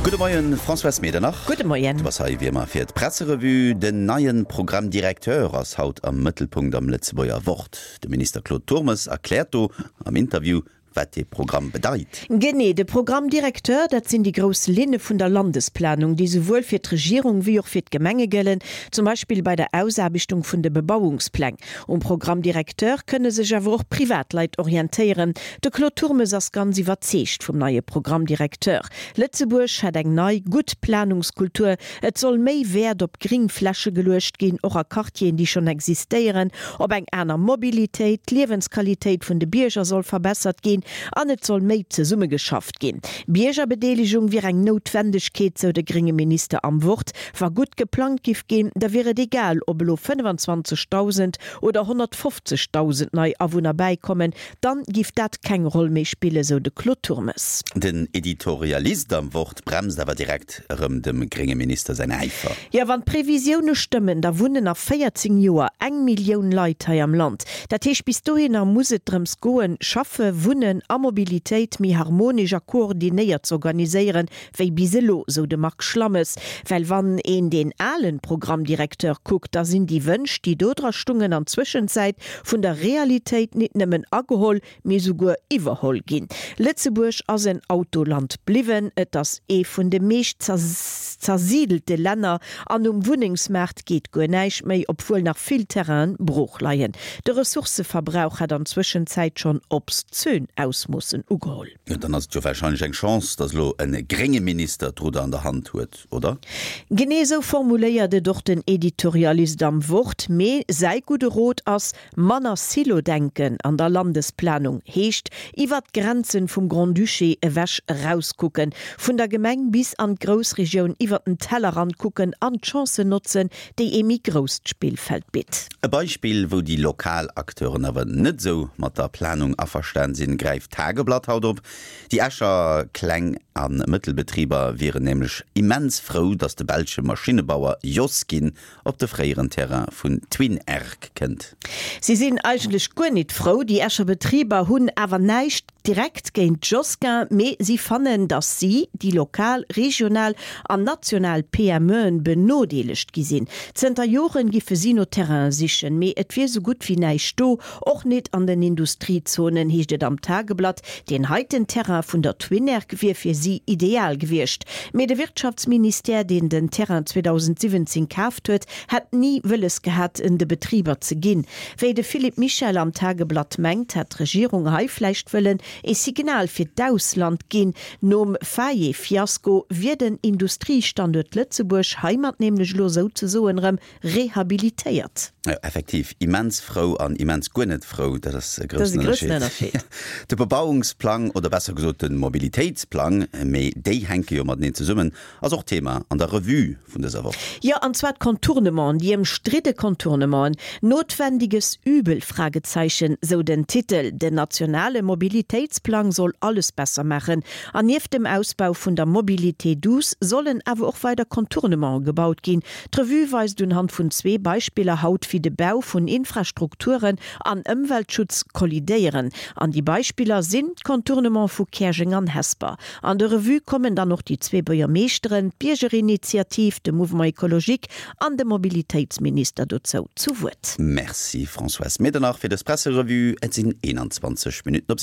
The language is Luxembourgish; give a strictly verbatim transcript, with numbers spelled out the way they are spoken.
Gudde Moien, Françoise Medernach. Gudde Moien. Du bass hei wéi ëmmer fir d'Presserevue. Den neien Programme directeur ass haut am Mëttelpunkt am Lëtzebuerger Wort. De Minister Claude Turmes erkläert do am Interview, wat de Programm bedeit. Genee, de Programme directeur, dat sinn déi grouss Linne vun der Landesplanung, déi souwuel fir d'Regierung wéi och fir d'Gemenge gëllen, zum Beispill bei der Ausaarbechtung vun de Bebauungspläng. Um Programme directeur kënne sech awer och Privatleit orientéieren. De Claude Turmes ass ganz iwwerzeegt vum neie Programme directeur. Lëtzebuerg hätt eng nei, gutt Planungskultur. Et soll méi Wäert op Gréngfläche geluecht ginn, och a Quartieren, déi schonn existéieren, op eng aner Mobilitéit, d'Liewensqualitéit vun de Bierger soll verbessert ginn an et soll méi zesummegeschafft ginn. Biergerbedeelegung wier eng Noutwendegkeet, sou de grénge Minister am Wort. Wa gutt geplangt giff ginn, da wier et egal, ob elo fënnefenzwanzegdausend oder honnertfofzegdausend nei Awunner bäikommen, dann giff dat keng Roll méi spillen, sou de Claude Turmes. Den Editorialist am Wort bremst awer direkt erëm dem grénge Minister säin Äifer. Jo, wann d'Previsioune stëmmen, da wunnen a véierzéng Joer eng Millioun Leit hei am Land. Dat heescht, bis dohinner muss et drëms goen, Schaffe, Wunnen a Mobilitéit méi harmonesch a koordinéiert z'organiséieren, wéi bis elo, sou de Marc Schlammes. Well wann een deen alen Programme directeur kuckt, da sinn déi Wënsch, déi do dra stungen, an Zwëschenzäit vun der Realitéit nit nëmmen ageholl, mee souguer iwwerholl ginn. Lëtzebuerg ass en Autoland bliwwen, et ass ee vun de meescht zersiedelte Länner an um Wunnengsmaart geet guer näischt méi, obwuel nach vill Terrainen brooch leien. De Ressourcëverbrauch hätt an Zwëschenzäit schonn obszön Ausmoossen ugeholl. Jo, dann ass et jo warscheinlech eng Chance, datt elo e grénge Minister d'Rudder an der Hand huet, oder? Genee esou formuléiert et och den Editorialist am Wort. Mee säi gudde Rot ass, Manner Silo-Denken an der Landesplanung heescht, iwwert d'Grenzen vum Grand-Duché ewech erauskucken, vun der Gemeng bis an d'Groussregioun, iwwert den Tellerrand kucken an d'Chancen notzen, déi ee méi grousst Spillfeld bitt. E Beispill, wou déi lokal Acteuren awer net esou mat der Planung averstan sinn, gräift d'Tageblatt haut op. Déi Escher Kleng a Mëttelbetriber wieren nämlech immens frou, datt de belsche Maschinnebauer Joskin op de fréieren Terrain vun Twinairc kënnt. Si sinn eigentlech guer nit frou. Déi Escher Betriber hunn awer näischt direkt géint Joskin, mee si fannen, datt si, déi lokal, regional an national P M E'en, benodeelegt gi sinn. Zënter Joren giffe si no Terrainen sichen, mee et wier sou gutt wéi näischt do, och nit an den Industriezonen, heescht et am Tageblatt. Deen heiten Terrain vun der Twinairc wier fir si ideal gewiescht. Mee de Wirtschaftsministère, deen den Terrain zweedausendsiwwenzéng kaaft huet, hätt ni wëlles gehat, en de Betriber ze ginn. Wéi de Philippe Michel am Tageblatt mengt, hätt d'Regierung hei vläicht wëllen ee Signal fir d'Ausland ginn. Nom Faye-Fiasko wier den Industriestanduert Lëtzebuerg heimat nämlech elo souzesoen erëm rehabilitéiert. Jo, effektiv, immens frou an immens guer net frou, dat ass e groussen Ënnerscheed. De Bebauungsplang, oder besser gesot de Mobilitéitsplang, mee déi hänke jo mateneen zesummen, ass och Thema an der Revue vun dëser Woch. Jo, an zwar d'Contournementen, déi ëmstridde Contournementen. Notwendiges Übel? Fragezeichen, sou den Titel. Den nationale Mobilitéitsplang soll alles besser maachen. An nieft dem Ausbau vun der Mobilité douce sollen awer och weider Contournementen gebaut ginn. D'Revue weist unhand vun zwee Beispiller haut, wéi de Bau vun Infrastrukturen an Ëmweltschutz kollidéieren. An déi Beispiller sinn d'Contournementen vu Käerjeng an Hesper. An der Revue kommen dann och déi zwee Buergermeeschteren, d'Biergerinitiativ, de Mouvement écologique an de Mobilitéitsminister dozou zu Wuert. Merci Françoise Medernach fir dës Presserevue. Et sinn eenanzwanzeg Minutten op.